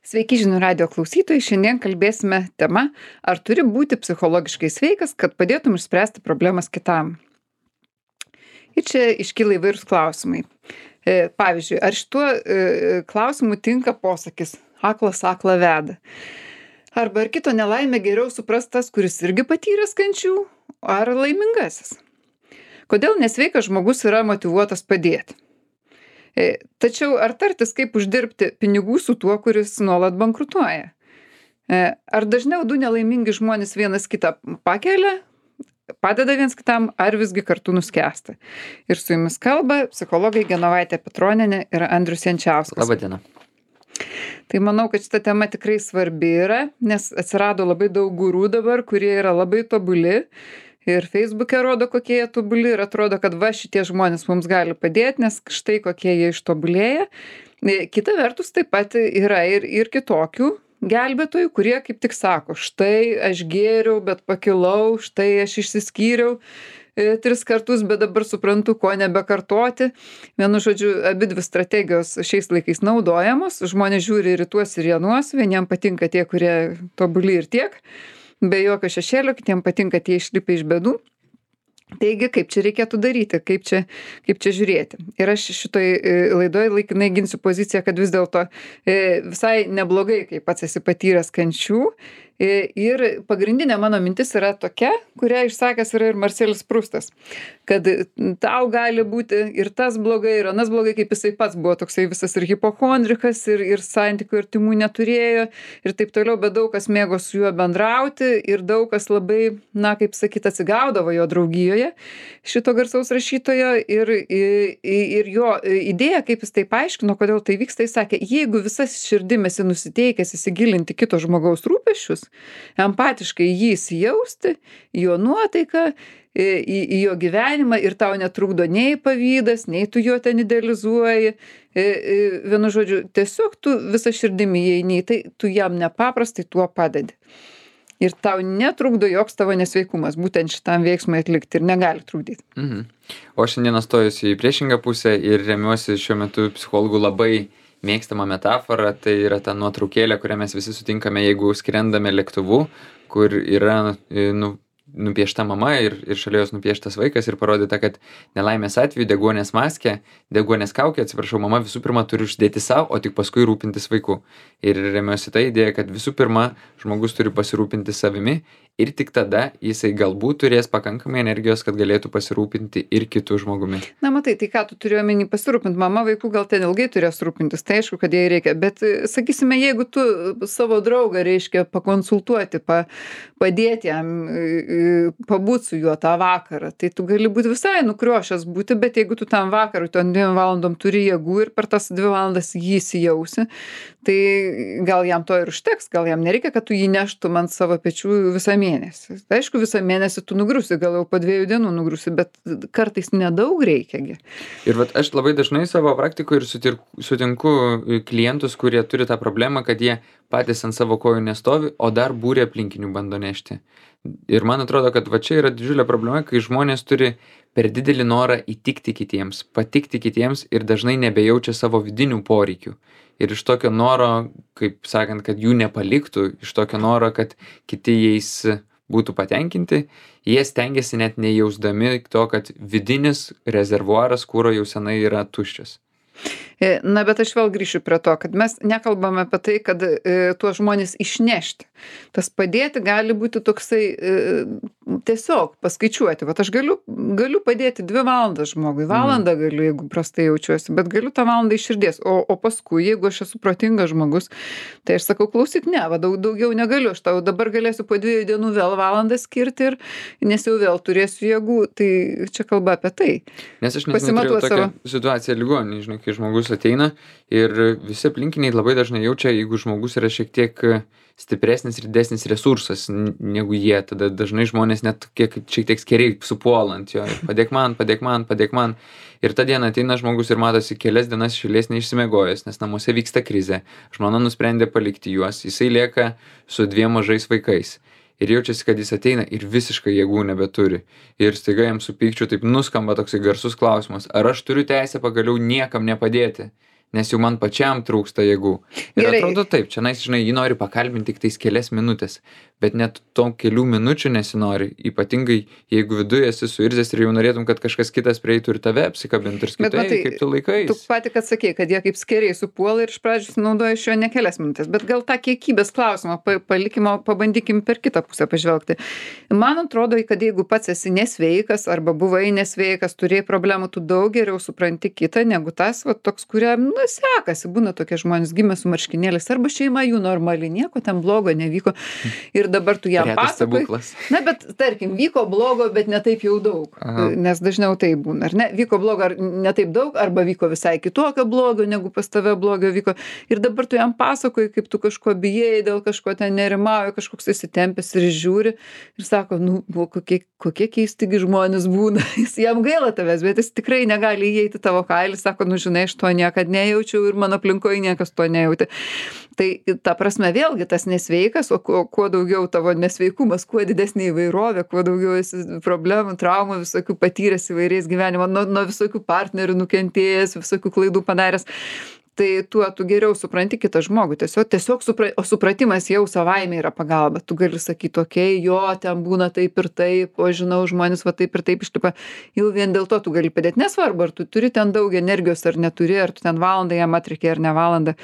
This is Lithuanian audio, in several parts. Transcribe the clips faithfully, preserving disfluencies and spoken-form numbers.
Sveiki žinių radijo klausytojai, šiandien kalbėsime tema, ar turi būti psichologiškai sveikas, kad padėtum išspręsti problemas kitam. Ir čia iškyla įvairūs klausimai. E, pavyzdžiui, ar šituo e, klausimu tinka posakis aklas aklą veda? Arba ar kito nelaimę geriau supras tas, kuris irgi patyręs kančių, ar laimingasis? Kodėl nesveikas žmogus yra motyvuotas padėti? E, tačiau ar tartis, kaip uždirbti pinigų su tuo, kuris nuolat bankrutuoja? E, ar dažniau du nelaimingi žmonės vienas kitą pakelia, padeda viens kitam, ar visgi kartu nuskęsta? Ir su jumis kalba psichologai Genovaitė Petronienė ir Andrius Jančiauskas. Labadiena. Tai manau, kad šita tema tikrai svarbi yra, nes atsirado labai daug gurų dabar, kurie yra labai tobuli. Ir Facebook'e rodo, kokie jie tobuli ir atrodo, kad va šitie žmonės mums gali padėti, nes štai kokie jie ištobulėja. Kita vertus taip pat yra ir, ir kitokių gelbėtojų, kurie kaip tik sako, štai aš gėriau, bet pakilau, štai aš išsiskyriau e, tris kartus, bet dabar suprantu, ko nebekartoti. Vienu žodžiu, abidvi strategijos šiais laikais naudojamos, žmonės žiūri ir į tuos ir januos, vieniem patinka tie, kurie tobuli ir tiek. Be jokio šešėlio, kitiem patinka tie išlipę iš bėdų. Taigi, kaip čia reikėtų daryti, kaip čia, kaip čia žiūrėti. Ir aš šitoj laidoje laikinai ginsiu poziciją, kad vis dėlto visai neblogai, kai pats esi patyręs kančių. Ir pagrindinė mano mintis yra tokia, kurią išsakęs yra ir Marselis Prustas, kad tau gali būti ir tas blogai, ir anas blogai, kaip jisai pats buvo toksai visas ir hipochondrikas, ir, ir santykių artimų neturėjo, ir taip toliau, bet daug kas mėgo su juo bendrauti, ir daug kas labai, na, kaip sakyt, atsigaudavo jo draugijoje, šito garsaus rašytojo, ir, ir, ir jo idėja, kaip jis tai paaiškino, kodėl tai vyksta, jis sakė, jeigu visas širdim esi nusiteikęs įsigilinti kito žmogaus rūpesčius, empatiškai jį įsijausti, jo nuotaiką, į, į jo gyvenimą ir tau netrukdo nei pavydas, nei tu jo ten idealizuoji. Vienu žodžiu, tiesiog tu visą širdimi įeini, tai tu jam nepaprastai tuo padedi. Ir tau netrukdo joks tavo nesveikumas, būtent šitam veiksmui atlikti ir negali trukdyti. Mhm. O šiandieną stojusi į priešingą pusę ir remiuosi šiuo metu psichologų labai mėgstama metafora, tai yra ta nuotraukėlė, kurią mes visi sutinkame, jeigu skrendame lėktuvu, kur yra nu, nupiešta mama ir, ir šalia jos nupieštas vaikas ir parodyta, kad nelaimės atveju deguonės maskė, deguonės kaukė, atsiprašau, mama visų pirma turi uždėti savo, o tik paskui rūpintis vaiku. Ir remiuosi tą idėją, kad visų pirma žmogus turi pasirūpinti savimi ir tik tada jisai galbūt turės pakankamai energijos, kad galėtų pasirūpinti ir kitų žmogumi. Na matai, tai ką tu turi omeny pasirūpinti, mama vaikų gal ten ilgai turės rūpintis, tai aišku, kad jai reikia, bet sakysime, jeigu tu savo draugą reiškia pakonsultuoti, pa, padėti jam, pabūti su juo tą vakarą, tai tu gali būti visai nukriošęs būti, bet jeigu tu tam vakarui, tu ant dviem valandom turi jėgų ir per tas dvi valandas jį įsijausi, tai gal jam to ir užteks, gal jam nereikia, kad tu jį neštum ant savo pečių visą mėnesį. Tai aišku, visą mėnesį tu nugrusi, gal jau po dviejų dienų nugrusi, bet kartais nedaug reikiagi. Ir vat aš labai dažnai savo praktikoje ir sutir, sutinku klientus, kurie turi tą problemą, kad jie patys ant savo kojų nestovi, o dar būrė aplinkinių bando nešti. Ir man atrodo, kad va čia yra didžiulė problema, kai žmonės turi per didelį norą įtikti kitiems, patikti kitiems ir dažnai nebejaučia savo vidinių poreikių. Ir iš tokio noro, kaip sakant, kad jų nepaliktų, iš tokio noro, kad kiti jais būtų patenkinti, jie stengiasi net nejausdami to, kad vidinis rezervuaras kuro jau senai yra tuščias. Na, bet aš vėl grįšiu prie to, kad mes nekalbame apie tai, kad e, tuos žmonės išnešti. Tas padėti gali būti toksai e, tiesiog paskaičiuoti. Vat aš galiu, galiu padėti dvi valandas žmogui, valandą galiu, jeigu prastai jaučiuosi, bet galiu tą valandą iš širdies. O, o paskui, jeigu aš esu protingas žmogus, tai aš sakau, klausyk, ne, va, daug, daugiau negaliu, aš tau dabar galėsiu po dviejų dienų vėl valandą skirti, ir, nes jau vėl turėsiu jėgų, tai čia kalba apie tai. Nes aš neturėjau tokią savo situaciją ligoninėje, žinai, kai žmogus ateina ir visi aplinkiniai labai dažnai jaučia, jeigu žmogus yra šiek tiek stipresnis ir didesnis resursas negu jie, tada dažnai žmonės net kiek šiek tiek skeriai supuolant jo, padėk man, padėk man, padėk man. Ir tą dieną ateina žmogus ir matosi kelias dienas šilės neišsimiegojęs, nes namuose vyksta krizė. Žmona nusprendė palikti juos, jisai lieka su dviem mažais vaikais. Ir jaučiasi, kad jis ateina ir visiškai jėgų nebeturi. Ir staiga jam su pykčiu taip nuskamba toksai garsus klausimas, ar aš turiu teisę pagaliau niekam nepadėti? nes jau man pačiam trūksta jėgų. Ir Gerai. atrodo taip, čia, nais, žinai, jį nori pakalbinti tik tais kelias minutės, bet net to kelių minučių nesinori, ypatingai jeigu viduje esi suirzęs ir jau norėtum, kad kažkas kitas prieitų ir tave apsikabintų ir skaitai, matai, kaip tu laikais. Tu pati, kad sakei, kad jie kaip skeriai supuola ir iš pradžių naudoja iš jo ne kelias minutės, bet gal tą kiekybės klausimą pa, palikimo pabandykim per kitą pusę pažvelgti. Man atrodo, kad jeigu pats esi nesveikas arba buvai nesveikas, turėjai problemų, tu daug geriau supranti kitą negu tas, va, toks, kuriam, nu, sekasi, būna tokie žmonės gimę su marškinėliais, arba šeima jų normali, nieko ten blogo nevyko. Ir dabar tu jam pasakoji. Na, bet tarkim, vyko blogo, bet ne taip jau daug. Aha. Nes dažniau tai būna, ar ne? Vyko blogo ar ne taip daug, arba vyko visai kitokio blogo, negu pas tave blogio vyko. Ir dabar tu jam pasakoji, kaip tu kažko bijai, dėl kažko ten nerimauji, kažkoks įsitempęs ir žiūri. Ir sako, nu, kokie, kokie keistigi žmonės būna. Jis jam gaila tavęs, bet jis tikrai negali įeiti tavo kailį. Sako, nu, žinai, aš to niekad nejaučiau ir mano aplinkoje niekas to nejauti. Tai ta prasme vėlgi tas nesveikas, o kuo, kuo daugiau tavo nesveikumas, kuo didesnė įvairovė, kuo daugiau esi problemų, traumų, visokių patyręs įvairiais gyvenimo, nuo, nuo visokių partnerių nukentėjęs, visokių klaidų padaręs. Tai tuo tu geriau supranti kitą žmogų. Tiesiog, tiesiog supra, o supratimas jau savaime yra pagalba. Tu gali sakyti, okei, okay, jo, ten būna taip ir taip, o žinau, žmonės va taip ir taip išlipa. Jau vien dėl to tu gali padėti. Nesvarbu, ar tu turi ten daug energijos ar neturi, ar tu ten valandą jam atrikiai ar ne valandą.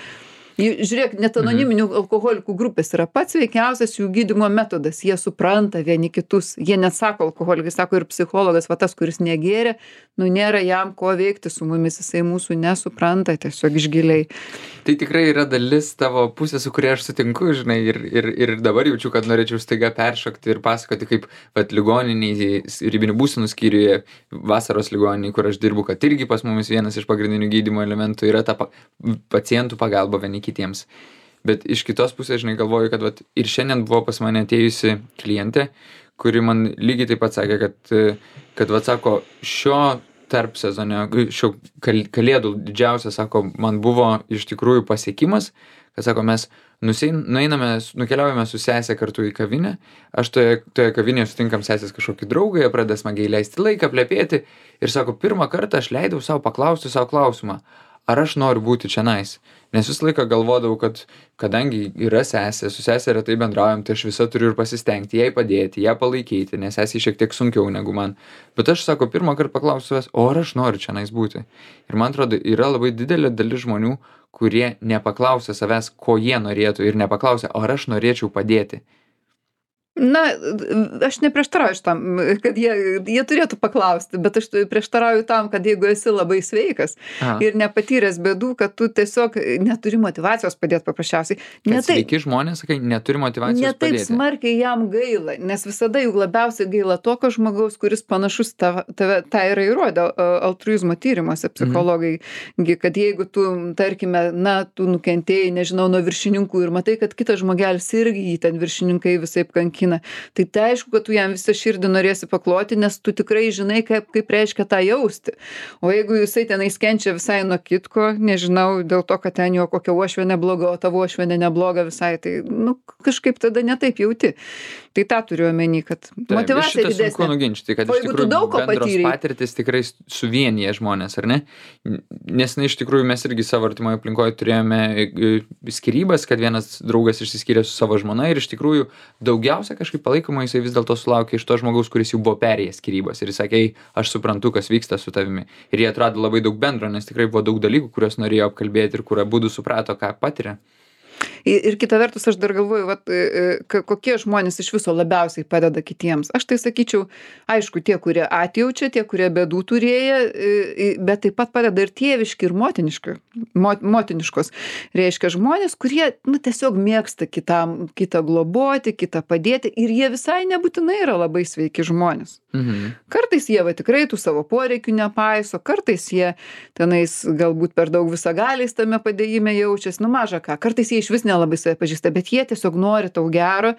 Žiūrėk, net anoniminių alkoholikų grupės yra pats veikiausias jų gydymo metodas. Jie supranta vieni kitus. Jie nesako alkoholikai, sako ir psichologas, va tas, kuris negėrė, nu nėra jam ko veikti su mumis, jisai mūsų nesupranta tiesiog iš giliai. Tai tikrai yra dalis tavo pusės, su kuria aš sutinku, žinai, ir, ir, ir dabar jaučiu, kad norėčiau staiga peršokti ir pasakoti, kaip vat, ligoniniai, ribinių būsenų skyriuje, vasaros ligoniniai, kur aš dirbu, kad irgi pas mumis vienas iš pagrindinių gydymo elementų yra ta pa, pacientų pagalba vieni kitiems. Bet iš kitos pusės, žinai, galvoju, kad vat, ir šiandien buvo pas mane atėjusi klientė, kuri man lygiai taip pat sakė, kad, kad vat, sako, šio tarp sezonio, šio kal, kalėdų didžiausia, sako, man buvo iš tikrųjų pasiekimas, kad, sako, mes nusein, nueiname, nukeliaujame su sesė kartu į kavinę, aš toje, toje kavinėje sutinkam sesės kažkokį draugą, jie pradeda smagiai leisti laiką, plepėti ir, sako, pirmą kartą aš leidau savo paklausti savo klausimą, ar aš noriu būti čionais. Nes visą laiką galvodavau, kad kadangi yra sesė, su sesė retai bendraujam, tai aš visą turiu ir pasistengti, jai padėti, ją palaikyti, nes sesė šiek tiek sunkiau negu man. Bet aš, sako, pirmą kartą paklausiu savęs, o ar aš noriu čionais būti. Ir man atrodo, yra labai didelė dalis žmonių, kurie nepaklausia savęs, ko jie norėtų ir nepaklausia, o ar aš norėčiau padėti. Na, aš neprieštarauju tam, kad jie, jie turėtų paklausti, bet aš prieštarauju tam, kad jeigu esi labai sveikas Aha. ir nepatyręs bėdų, kad tu tiesiog neturi motyvacijos padėti paprasčiausiai. Ne kad sveiki žmonės, sakai, neturi motyvacijos ne padėti. Ne taip smarkiai jam gaila, nes visada juk labiausiai gaila tokio žmogaus, kuris panašus tave, tave, tą yra įrodę altruizmo tyrimuose psichologai, mhm. kad jeigu tu, tarkime, na, tu nukentėjai, nežinau, nuo viršininkų ir matai, kad kitas žmogelis irgi jį ten viršininkai visaip kankina, tai tai aišku, kad tu jam visą širdį norėsi pakloti, nes tu tikrai žinai, kaip, kaip reiškia tą jausti. O jeigu jisai tenais kenčia visai nuo kitko, nežinau, dėl to, kad ten jo kokia uošvienė bloga, o tavo uošvienė nebloga visai, tai nu, kažkaip tada netaip jauti. Tai tą turiu omeny, kad motyvacija didesnė. Sunku nuginčyti, kad iš tikrųjų bendros patirtis tikrai suvienyje žmonės, ar ne? Nes na, iš tikrųjų mes irgi savo artimoje aplinkoje turėjome skyrybas, kad vienas draugas išsiskyrė su savo žmona ir iš tikrųjų daugiausia kažkaip palaikoma jisai vis dėlto sulaukė iš to žmogaus, kuris jau buvo perėjęs skyrybas ir jis sakė, aš suprantu, kas vyksta su tavimi. Ir jie atrado labai daug bendro, nes tikrai buvo daug dalykų, kuriuos norėjo apkalbėti ir kur abudu suprato, ką patiria. Ir kita vertus, aš dar galvoju, vat, kokie žmonės iš viso labiausiai padeda kitiems. Aš tai sakyčiau, aišku, tie, kurie atjaučia, tie, kurie bėdų turėję, bet taip pat padeda ir tėviški, ir motiniški, motiniškos. Reiškia žmonės, kurie nu, tiesiog mėgsta kitam, kitą globoti, kitą padėti ir jie visai nebūtinai yra labai sveiki žmonės. Mhm. Kartais jie va tikrai tų savo poreikių nepaiso, kartais jie tenais galbūt per daug visagaliais tame padėjime jaučiasi, nu maža ką, kartais jie iš vis nelabai save pažįsta, bet jie tiesiog nori tau gero,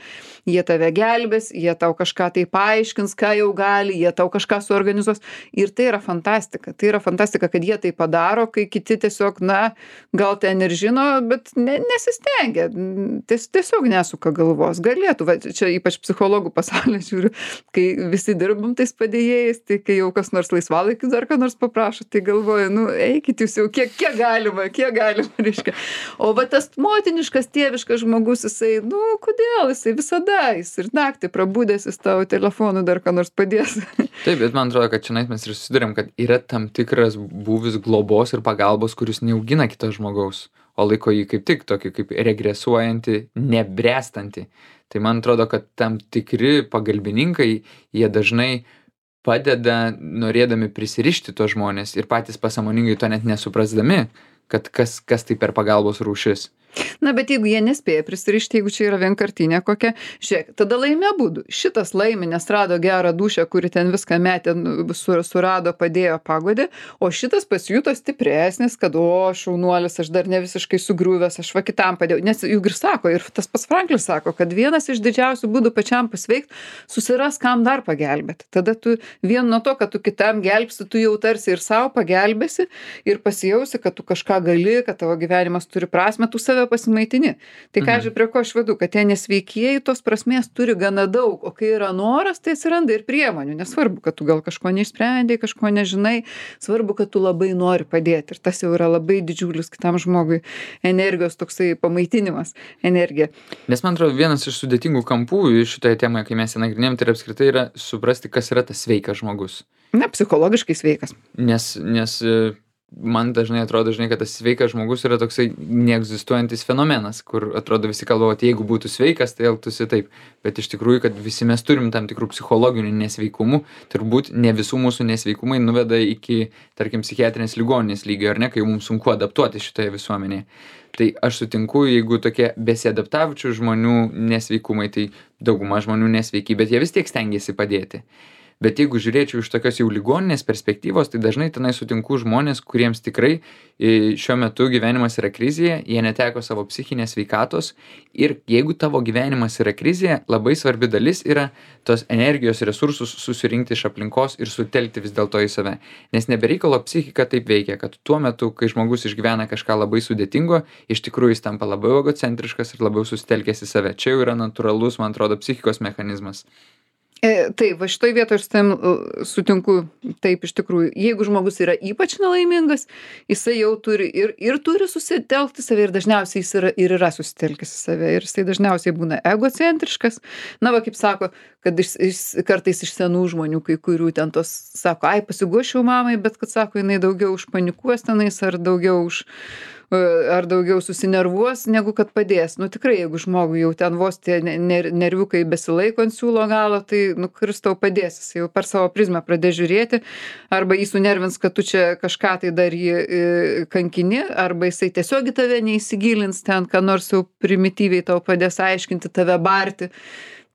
jie tave gelbės, jie tau kažką tai paaiškins, ką jau gali, jie tau kažką suorganizuos. Ir tai yra fantastika. Tai yra fantastika, kad jie tai padaro, kai kiti tiesiog, na, gal ten ir žino, bet ne, nesistengia. Ties, tiesiog nesuka galvos. Galėtų, va, čia ypač psichologų pasaulyje žiūriu, kai visi dirbam tais padėjėjais, tai kai jau kas nors laisvalaikis dar ką nors paprašo, tai galvoju, nu, eikit jūs jau, kiek, kiek galima, kiek galima, reiškia. O va tas motiniškas, tėviškas žmogus, jisai, nu, kodėl, jisai visada, jis ir naktį prabudęs, jis tavo telefonu dar ką nors padės. Taip, bet man atrodo, kad čia mes ir susidurėm, kad yra tam tikras būvis globos ir pagalbos, kuris neaugina kito žmogaus, o laiko jį kaip tik tokį kaip regresuojantį, nebręstantį. Tai man atrodo, kad tam tikri pagalbininkai, jie dažnai padeda norėdami prisirišti tuos žmonės ir patys pasąmoningai to net nesuprasdami, kad kas, kas tai per pagalbos rūšis. Na, bet jeigu jie nespėja prisirišti, jeigu čia yra vienkartinė kokia, žiūrėk, tada laimė abudu. Šitas laimė, nes rado gerą dušę, kuri ten viską metė, sur, surado, padėjo, pagodė, o šitas pasijuto stipresnis, kad, o, šaunuolis, aš dar ne visiškai sugriuvęs, aš va kitam padėjau. Nes juk ir sako, ir tas pats Franklis sako, kad vienas iš didžiausių būdų pačiam pasveikti, susiras, kam dar pagelbėti. Tada tu vien nuo to, kad tu kitam gelbsi, tu jau tarsi ir savo pagelbėsi ir pasijausi, kad tu kažką gali, kad tavo gyvenimas turi prasmę, tu save pasimaitini. Tai ką aš prie ko aš vedu, kad tie nesveikieji tos prasmės turi gana daug, o kai yra noras, tai atsiranda ir priemonių. Nesvarbu, kad tu gal kažko neišsprendai, kažko nežinai, svarbu, kad tu labai nori padėti. Ir tas jau yra labai didžiulis kitam žmogui energijos toksai pamaitinimas, energija. Nes man atrodo, vienas iš sudėtingų kampų šitoje temoje, kai mes ją nagrinėjom, tai apskritai yra suprasti, kas yra tas sveikas žmogus. Ne, psichologiškai sveikas. Nes, nes man dažnai atrodo, žinai, kad tas sveikas žmogus yra toksai neegzistuojantis fenomenas, kur atrodo visi kalba, kad jeigu būtų sveikas, tai elgtųsi taip. Bet iš tikrųjų, kad visi mes turim tam tikrų psichologinių nesveikumų, turbūt ne visų mūsų nesveikumai nuveda iki, tarkim, psichiatrinės ligoninės lygio, ar ne, kai mums sunku adaptuoti šitoje visuomenėje. Tai aš sutinku, jeigu tokie besiadaptavučių žmonių nesveikumai, tai dauguma žmonių nesveiki, bet jie vis tiek stengiasi padėti. Bet jeigu žiūrėčiau iš tokios jau ligoninės perspektyvos, tai dažnai tenai sutinku žmonės, kuriems tikrai šiuo metu gyvenimas yra krizėje, jie neteko savo psichinės sveikatos ir jeigu tavo gyvenimas yra krizėje, labai svarbi dalis yra tos energijos resursus susirinkti iš aplinkos ir sutelkti vis dėlto į save. Nes nebereikalo psichika taip veikia, kad tuo metu, kai žmogus išgyvena kažką labai sudėtingo, iš tikrųjų jis tampa labiau egocentriškas ir labiau susitelkęs į save. Čia jau yra natūralus, man atrodo, psichikos mechanizmas. E, taip, va šitoj vietoj aš su tam sutinku, taip iš tikrųjų, jeigu žmogus yra ypač nelaimingas, jisai jau turi ir, ir turi susitelkti save ir dažniausiai jis yra, ir yra susitelkęs į save ir jisai dažniausiai būna egocentriškas. Na va, kaip sako, kad iš, iš, kartais iš senų žmonių, kai kurių ten tos sako, ai pasiguošiau mamai, bet kad sako, jinai daugiau užpanikuos tenais ar daugiau už... ar daugiau susinervuos, negu kad padės. Nu tikrai, jeigu žmogui jau ten vos tie ner nerviukai besilaiko ant siūlo galo, tai, nu, kuris tau padės, jis jau per savo prizmę pradės žiūrėti, arba jį sunervins, kad tu čia kažką tai dar jį e, kankini, arba jisai tiesiog į tave neįsigilins ten, ką nors jau primityviai tau padės aiškinti, tave barti.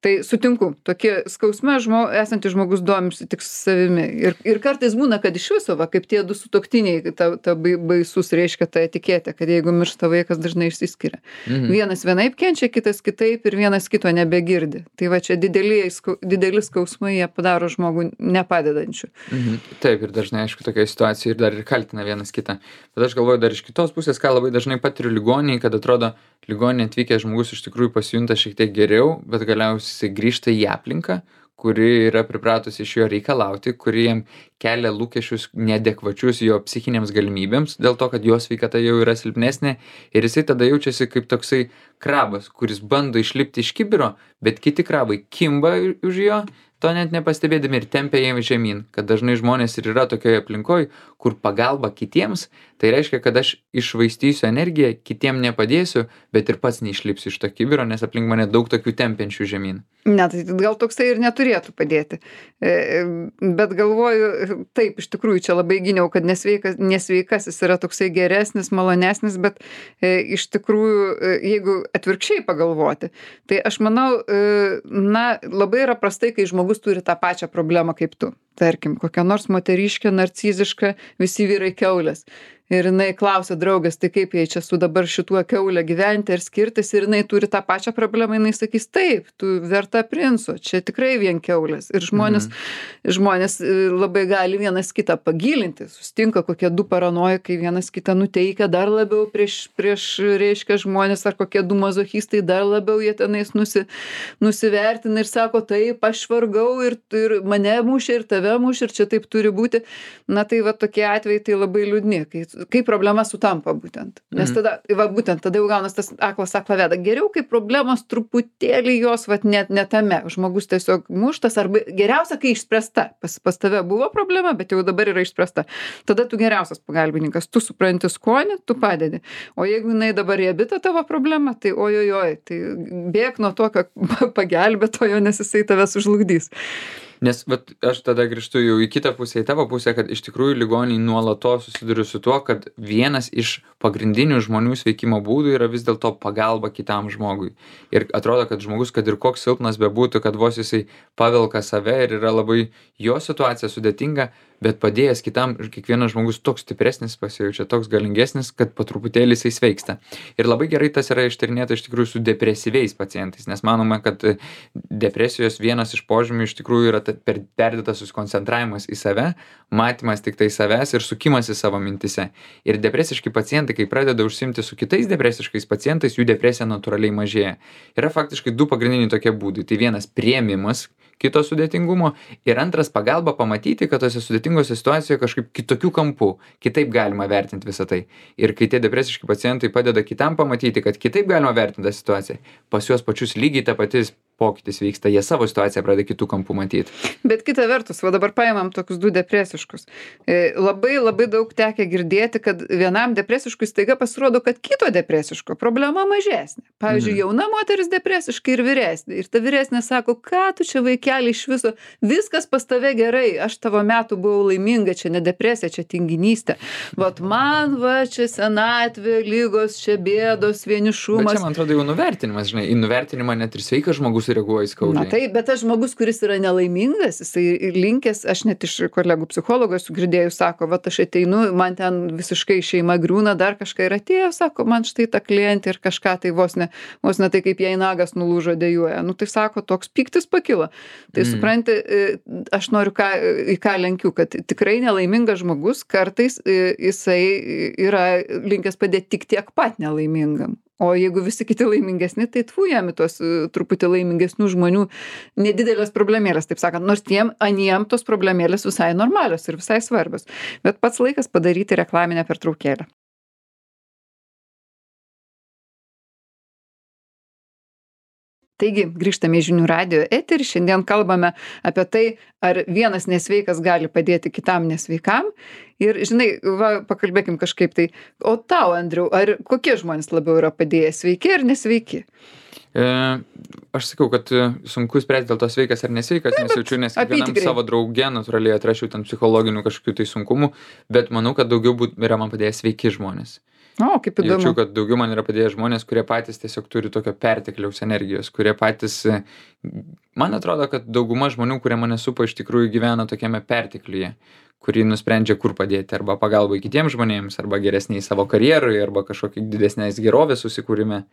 Tai sutinku, tokie skausme žmo, esantis žmogus domisi tik savimi. Ir, ir kartais būna, kad iš viso, va, kaip tie du sutuoktiniai, ta, ta baisus reiškia ta etiketė, kad jeigu miršta vaikas, dažnai išsiskiria. Mhm. Vienas vienaip kenčia, kitas kitaip ir vienas kito nebegirdi. Tai va čia dideli, dideli skausmai, jie padaro žmogų nepadedančių. Mhm. Taip, ir dažnai, aišku, tokia situacija ir dar ir kaltina vienas kitą. Bet aš galvoju dar iš kitos pusės, ką labai dažnai patiriu ligoninėje, kad atrodo, ligoninė atvykęs žmogus iš tikrųjų pasijunta šiek tiek geriau, bet galiausiai jisai grįžta į aplinką, kuri yra pripratusi iš jo reikalauti, kuri jam kelia lūkesčius neadekvačius jo psichinėms galimybėms, dėl to, kad jo sveikata jau yra silpnesnė ir jisai tada jaučiasi kaip toksai krabas, kuris bando išlipti iš kibiro, bet kiti krabai kimba už jo, to net nepastebėdami ir tempia jiem žemyn, kad dažnai žmonės ir yra tokioje aplinkoje, kur pagalba kitiems, tai reiškia, kad aš iššvaistysiu energiją, kitiem nepadėsiu, bet ir pats neišlipsiu iš to kibiro, nes aplink mane daug tokių tempiančių žemyn. Ne, tai gal toksai ir neturėtų padėti. Bet galvoju, taip, iš tikrųjų čia labai gyniau, kad nesveikas, nesveikasis yra toksai geresnis, malonesnis, bet iš tikrųjų, jeigu atvirkščiai pagalvoti, tai aš manau, na, labai yra prastai, kai žmogus turi tą pačią problemą kaip tu. Tarkim, kokia nors moteriškė, narciziška, visi vyrai kiaulės. Ir jinai klausia draugės, tai kaip jai čia su dabar šituo kiaulė gyventi ar skirtis, ir jinai turi tą pačią problemą, jinai sakys, taip, tu verta princo, čia tikrai vien kiaulės. Ir žmonės, Mhm. žmonės e, labai gali vienas kitą pagilinti, sustinka kokie du paranojikai, vienas kitą nuteikia dar labiau prieš, prieš reiškia žmonės, ar kokie du mazochistai dar labiau jie tenais nusi, nusivertina ir sako, taip, aš vargau ir, ir mane mušė, ir tave mušė, ir čia taip turi būti. Na tai va tokie atvejai tai labai liūdni, kai, kai problema sutampa būtent. Nes Mhm. tada, va būtent, tada jau gaunas tas aklas aklą veda. Geriau, kai problemos truputėlį jos, va net ne tame. Žmogus tiesiog muštas, arba geriausia, kai išspręsta. Pas, pas tave buvo problema, bet jau dabar yra išspręsta. Tada tu geriausias pagalbininkas, tu supranti skonį, tu padedi. O jeigu jinai dabar riebita tavo problema, tai ojojoj, tai bėk nuo tokio pagelbėtojo, nes jisai tave sužlugdys. Nes vat, aš tada grįžtu jau į kitą pusę, į tavo pusę, kad iš tikrųjų ligoniai nuolatos susiduria su tuo, kad vienas iš pagrindinių žmonių sveikimo būdų yra vis dėlto pagalba kitam žmogui. Ir atrodo, kad žmogus, kad ir koks silpnas bebūtų, kad vos jisai pavelka save ir yra labai jo situacija sudėtinga, bet padėjęs kitam, ir kiekvienas žmogus toks stipresnis pasijaučia, toks galingesnis, kad po truputėlį jisai sveiksta. Ir labai gerai tas yra ištyrinėta iš tikrųjų su depresyviais pacientais, nes manoma, kad depresijos vienas iš požymių iš tikrųjų yra per perdėtas susikoncentravimas į save, matymas tik tai savęs ir sukimas į savo mintise. Ir depresiški pacientai, kai pradeda užsimti su kitais depresiškais pacientais, jų depresija natūraliai mažėja. Yra faktiškai du pagrindiniai tokie būdai. Tai vienas priėmimas kito sudėtingumo ir antras pagalba pamatyti, kad tose sudėtingose situacijoje kažkaip kitokių kampų, kitaip galima vertinti visą tai. Ir kai tie depresiški pacientai padeda kitam pamatyti, kad kitaip galima vertinti tą situaciją, pas juos pačius lygiai ta patys pokytis vyksta, jie savo situaciją pradeda kitų kampų matyti. Bet kita vertus, va dabar paimam tokius du depresiškus. E, labai labai daug tekia girdėti, kad vienam depresiškui staiga pasirodo, kad kito depresiško problema mažesnė. Pavyzdžiui, Mhm. jauna moteris depresiškai ir vyresnė. Ir ta vyresnė sako, ką tu čia vaikeli iš viso, viskas pas tave gerai, aš tavo metų buvau laiminga, čia ne depresija, čia tinginystė. Vat man va čia senatvė, lygos, čia bėdos, Bet vienišumas. čia, man atrodo, jau nuvertinimas, žinai, į nuvertinimą net ir sveikas žmogus reaguoja Na skaudžiai. taip, bet tas žmogus, kuris yra nelaimingas, jisai linkęs, aš net iš kolegų psichologų esu girdėjus, sako, va aš ateinu, man ten visiškai šeima griūna, dar kažką ir atėjo, sako, man štai ta klientė ir kažką tai vos ne, vos ne tai kaip jai nagas nulūžo dėjuoja. Nu tai sako, toks pyktis pakilo. Tai Mm. supranti, e, aš noriu ką, į ką lenkiu, kad tikrai nelaimingas žmogus kartais e, jisai yra linkęs padėti tik tiek pat nelaimingam. O jeigu visi kiti laimingesni, tai tfu jam į tos e, truputį laimingesnių žmonių nedidelės problemėlės, taip sakant, nors tiem aniem tos problemėlės visai normalios ir visai svarbios. Bet pats laikas padaryti reklaminę pertraukėlę. Taigi, grįžtame į žinių radijo eterį, šiandien kalbame apie tai, ar vienas nesveikas gali padėti kitam nesveikam. Ir, žinai, va, pakalbėkim kažkaip tai, o tau, Andriau, ar kokie žmonės labiau yra padėję, sveiki ar nesveiki? E, aš sakau, kad e, sunku spręsti dėl to sveikas ar nesveikas, nesijaučiu, nes kiekvienam apytikriai. savo drauge natūraliai atrašiau ten psichologinių kažkokių tai sunkumų, bet manau, kad daugiau būt, yra man padėję sveiki žmonės. O, kaip įdomu. Jaučiu, kad daugiau man yra padėję žmonės, kurie patys tiesiog turi tokio pertekliaus energijos, kurie patys, e, man atrodo, kad dauguma žmonių, kurie mane supa, iš tikrųjų gyvena tokiame pertekliuje, kurį nusprendžia kur padėti, arba pagalbai kitiems žmonėms, arba geresniai savo karjerui, arba kažkokį didesnės gerovės susikūrime.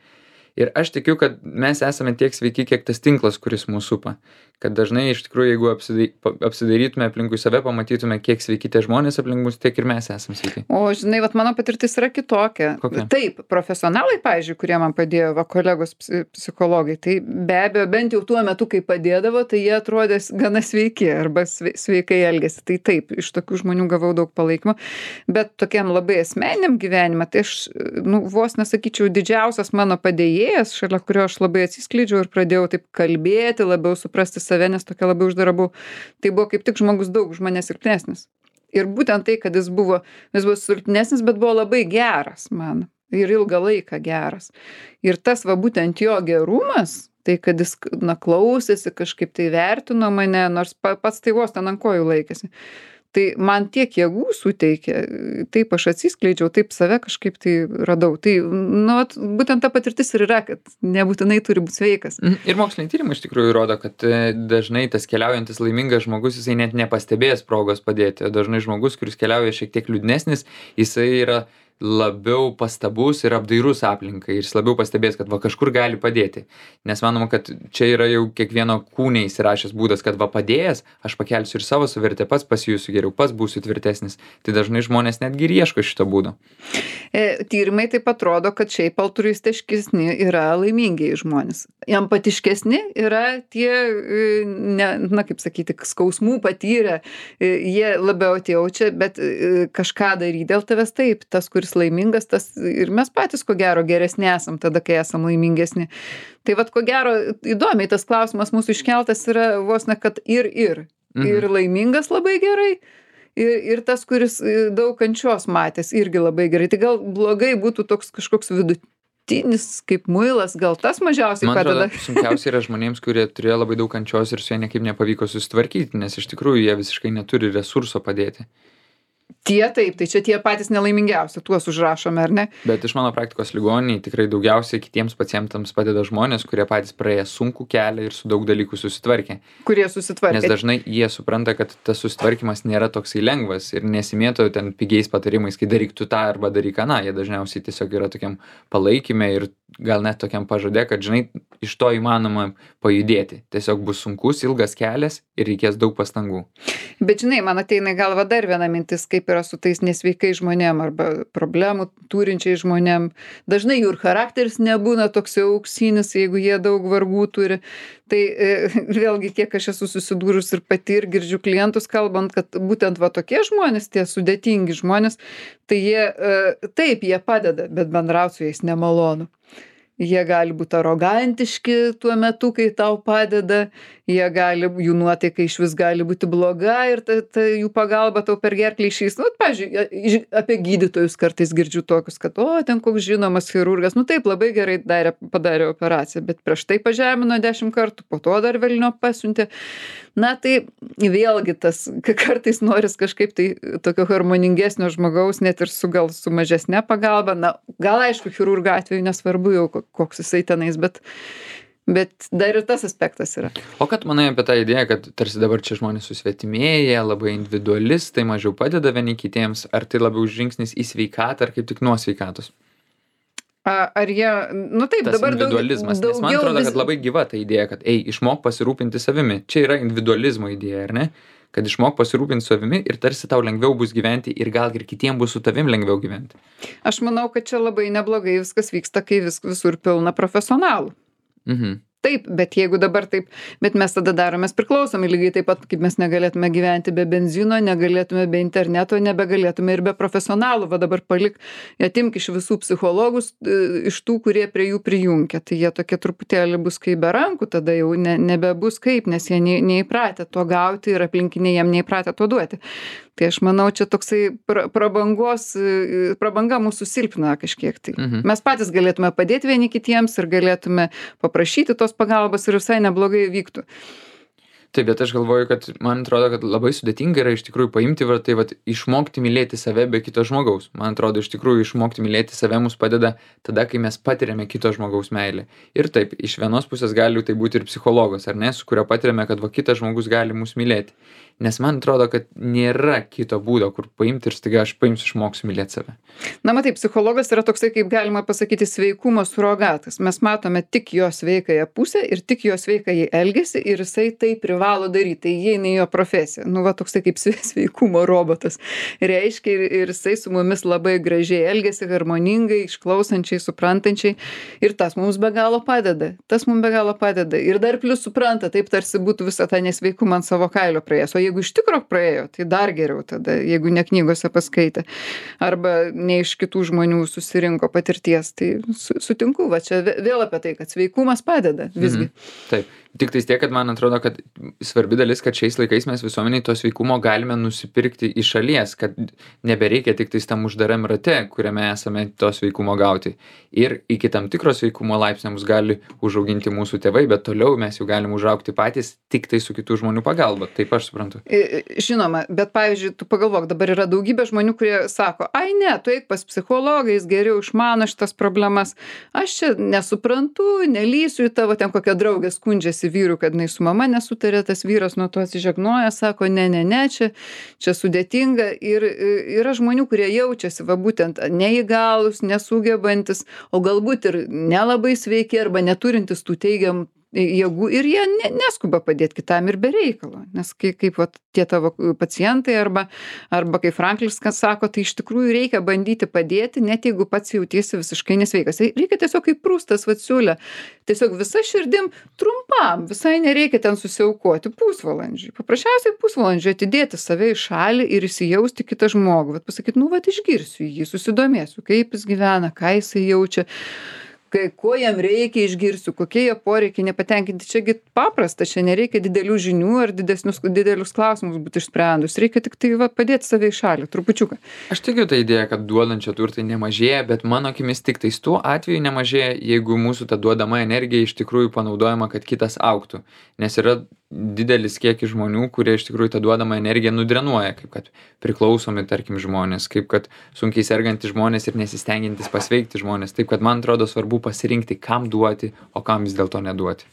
Ir aš tikiu, kad mes esame tiek sveiki, kiek tas tinklas, kuris mūsų supa. Kad dažnai iš tikrųjų, jeigu apsidai, apsidairytume aplinkui save, pamatytume, kiek sveiki tie žmonės aplink mus, tiek ir mes esame sveiki. O, žinai, vat mano patirtis yra kitokia. Kokia? Taip, profesionalai, pavyzdžiui, kurie man padėjo, va, kolegos psi- psichologai, tai be abejo, bent jau tuo metu, kai padėdavo, tai jie atrodė s- gana sveiki arba sve- sveikai elgėsi. Tai taip, iš tokių žmonių gavau daug palaikymo. Bet tokiam labai asmeniniam gyvenime, tai aš, nu, vos nesakyčiau, didžiausias mano padėjėjas, šalia kurio aš labai atsiskleidžiau ir pradėjau taip kalbėti, labiau suprasti save, nes tokia labai uždara buvau. Tai buvo kaip tik žmogus daug už mane silpnesnis. Ir būtent tai, kad jis buvo, jis buvo silpnesnis, bet buvo labai geras man. Ir ilgą laiką geras. Ir tas va būtent jo gerumas, tai kad jis, na, klausėsi, kažkaip tai vertino mane, nors pa, pats tai vos ten ant kojų laikėsi. Tai man tiek jėgų suteikė, taip aš atsiskleidžiau, taip save kažkaip tai radau. Tai, nu, vat, būtent ta patirtis ir yra, kad nebūtinai turi būti sveikas. Ir moksliniai tyrimai iš tikrųjų rodo, kad dažnai tas keliaujantis laimingas žmogus, jisai net nepastebės progos padėti. Dažnai žmogus, kuris keliauja šiek tiek liūdnesnis, jisai yra labiau pastabus ir apdairus aplinkai ir jis labiau pastebės, kad va kažkur gali padėti. Nes manoma, kad čia yra jau kiekvieno kūne įsirašęs būdas, kad va padėjęs, aš pakelsiu ir savo savivertę, pats pasijusiu geriau, pats būsiu tvirtesnis. Tai dažnai žmonės netgi ir ieško šito būdo. E, tyrimai taip atrodo, kad šiaip altruistiškesni yra laimingieji žmonės. Empatiškesni yra tie, ne, na kaip sakyti, skausmų patyrę, jie labiau atjaučia, bet kažką daryti dėl tavęs taip. Tas, kuris laimingas, tas ir mes patys ko gero geresni esam tada, kai esam laimingesni. Tai vat ko gero įdomiai tas klausimas mūsų iškeltas yra vos ne, kad ir ir. Mhm. Ir laimingas labai gerai. Ir, ir tas, kuris daug kančios matęs, irgi labai gerai. Tai gal blogai būtų toks kažkoks vidutinis kaip muilas, gal tas mažiausiai Man padeda. atrodo, sunkiausia yra žmonėms, kurie turėjo labai daug kančios ir su jie niekaip nepavyko susitvarkyti, nes iš tikrųjų jie visiškai neturi resurso padėti. Tie taip, tai čia tie patys nelaimingiausi, tuos užrašome, ar ne? Bet iš mano praktikos ligoninėj tikrai daugiausiai kitiems pacientams padeda žmonės, kurie patys praėję sunkų kelią ir su daug dalykų susitvarkė. Kurie susitvarkė. Nes dažnai jie supranta, kad tas susitvarkymas nėra toksai lengvas ir nesimėto ten pigiais patarimais, kai daryk tu tą arba daryk aną. Jie dažniausiai tiesiog yra tokiam palaikyme ir gal net tokiam pažadė, kad žinai, iš to įmanoma pajudėti. Tiesiog bus sunkus, ilgas kelias ir reikės daug pastangų. Bet žinai, man ateina į galvą dar viena mintis, kaip yra su tais nesveikai žmonėm arba problemų turinčiai žmonėm. Dažnai jų ir charakteris nebūna toks jau auksinis, jeigu jie daug vargų turi. Tai e, vėlgi, kiek aš esu susidūrus ir pati ir girdžiu klientus kalbant, kad būtent va tokie žmonės, tie sudėtingi žmonės, tai jie, e, taip, jie padeda, bet bendrauti su jais nemalonu. Jie gali būti arogantiški tuo metu, kai tau padeda, jie gali, jų nuotaika iš vis gali būti bloga ir ta, ta jų pagalba tau per gerklį išeis. Nu, pavyzdžiui, apie gydytojus kartais girdžiu tokius, kad, o, ten koks žinomas chirurgas, nu taip, labai gerai darė, padarė operaciją, bet prieš tai pažemino dešimt kartų, po to dar velnio pasiuntė. Na, tai vėlgi tas, kartais noris kažkaip tai tokio harmoningesnio žmogaus, net ir su gal su mažesne pagalba. Na, gal aišku, chirurgo atveju nesvarbu jau koks jisai tenais, bet, bet dar ir tas aspektas yra. O kad manai apie tą idėją, kad tarsi dabar čia žmonės susvetimėja, labai individualistai, mažiau padeda vieni kitiems, ar tai labiau žingsnis į sveikatą, ar kaip tik nuo sveikatos? A, ar jie, nu taip, Tas dabar daug, individualizmas, nes man atrodo, vis... kad labai gyva ta idėja, kad ei, išmok pasirūpinti savimi. Čia yra individualizmo idėja, ar ne? Kad išmok pasirūpinti savimi ir tarsi tau lengviau bus gyventi ir gal ir kitiem bus su tavim lengviau gyventi. Aš manau, kad čia labai neblogai viskas vyksta, kai vis, visur pilna profesionalų. Mhm. Taip, bet jeigu dabar taip, bet mes tada daromės priklausomi, lygiai taip pat, kaip mes negalėtume gyventi be benzino, negalėtume be interneto, nebegalėtume ir be profesionalų, va dabar palik, atimk iš visų psichologus, iš tų, kurie prie jų prijungia, tai jie tokie truputėlį bus kaip be rankų, tada jau ne, nebebus kaip, nes jie ne, neįpratę to gauti ir aplinkiniai jiem neįpratę to duoti. Tai aš manau, čia toksai pra, prabangos, prabanga mūsų silpna kažkiek tai. Mhm. Mes patys galėtume padėti vieni kitiems ir galėtume paprašyti tos pagalbos ir visai neblogai vyktų. Taip, bet aš galvoju, kad man atrodo, kad labai sudėtinga yra iš tikrųjų paimti, va, tai va, išmokti mylėti save be kito žmogaus. Man atrodo, iš tikrųjų išmokti mylėti save mums padeda tada, kai mes patiriame kito žmogaus meilę. Ir taip, iš vienos pusės gali tai būti ir psichologas, ar ne, su kurio patiriame, kad va kitas žmogus gali mus mylėti. Nes man atrodo, kad nėra kito būdo, kur paimti ir staiga aš paimsiu išmoksiu mylėti save. Na, matai, psichologas yra toksai, kaip galima pasakyti, sveikumo surogatas. Mes matome tik jo sveikąją pusę ir tik jo sveikąjį elgesį ir jisai tai privalo daryti. Tai įeina į jo profesiją. Nu, va, toksai kaip sveikumo robotas. Reiškia, ir, ir jisai su mumis labai gražiai elgesi, harmoningai, išklausančiai, suprantančiai. Ir tas mums be galo padeda. Tas mums be galo padeda. Ir dar plus supranta, taip tarsi būtų visą tą nesveikumą ant savo kailio praėjęs. O jeigu iš tikro praėjo, tai dar geriau tada, jeigu ne knygose paskaitė. Arba ne iš kitų žmonių susirinko patirties. Tai su, sutinku, va čia vėl apie tai, kad sveikumas padeda visgi. Mhm. Taip. Tik tais tiek, kad man atrodo, kad svarbi dalis, kad šiais laikais mes visuomeniai to sveikumo galime nusipirkti iš šalies, kad nebereikia tik tais tam uždaram rate, kuriame esame to sveikumo gauti. Ir iki tam tikro sveikumo laipsnio mus gali užauginti mūsų tėvai, bet toliau mes jau galim užaugti patys tik tai su kitų žmonių pagalba. Taip aš suprantu. Žinoma, bet pavyzdžiui, tu pagalvok, dabar yra daugybė žmonių, kurie sako, ai ne, tu eik pas psichologą, jis geriau išmano šitas problemas. Aš čia nesuprantu, nelysiu į tavo, ten kokia draugė skundžiasi vyrų, kad jinai su mama nesutarė, tas vyras nuo to atsižegnoja, sako, ne, ne, ne, čia, čia sudėtinga. Ir yra žmonių, kurie jaučiasi, va būtent neįgalus, nesugebantis, o galbūt ir nelabai sveiki arba neturintis tų teigiamų jėgų ir jie ne, neskuba padėti kitam ir be reikalo. Nes kaip, kaip vat, tie tavo pacientai arba, arba kaip Franklis sako, tai iš tikrųjų reikia bandyti padėti, net jeigu pats jautiesi visiškai nesveikas. Reikia tiesiog kaip Prustas vat siūlė, tiesiog visa širdim trumpam, visai nereikia ten susiaukoti pusvalandžiui. Paprasčiausiai pusvalandžiui atidėti save į šalį ir įsijausti kitą žmogų. Vat pasakyti, nu vat išgirsiu jį, susidomėsiu, kaip jis gyvena, ką jisai jaučia. Kai, ko jam reikia, išgirsiu, kokie jo poreikiai nepatenkinti. Čiagi paprasta, čia nereikia didelių žinių ar didesnius, didelius klausimus būti išsprendus. Reikia tik tai va, padėti save į šalį, trupučiuką. Aš tikiu tą idėją, kad duodančio turtai nemažėja, bet mano akimis tik tais tuo atveju nemažėja, jeigu mūsų ta duodama energija iš tikrųjų panaudojama, kad kitas augtų. Nes yra didelis kiekis žmonių, kurie iš tikrųjų tą duodamą energiją nudrenuoja, kaip kad priklausomi, tarkim, žmonės, kaip kad sunkiai sergantys žmonės ir nesistengiantys pasveikti žmonės. Taip, kad man atrodo svarbu pasirinkti, kam duoti, o kam vis dėlto neduoti.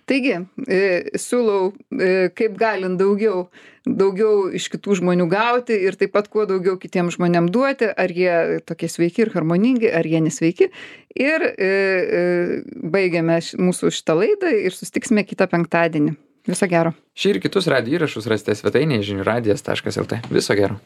Taigi, e, siūlau, e, kaip galint daugiau, daugiau iš kitų žmonių gauti ir taip pat kuo daugiau kitiems žmonėms duoti, ar jie tokie sveiki ir harmoningi, ar jie nesveiki. Ir e, e, baigiame š, mūsų šitą laidą ir susitiksime kitą penktadienį. Viso gero. Šį ir kitus radijo įrašus rasite svetainėje žinių radijas taškas lt. Viso gero.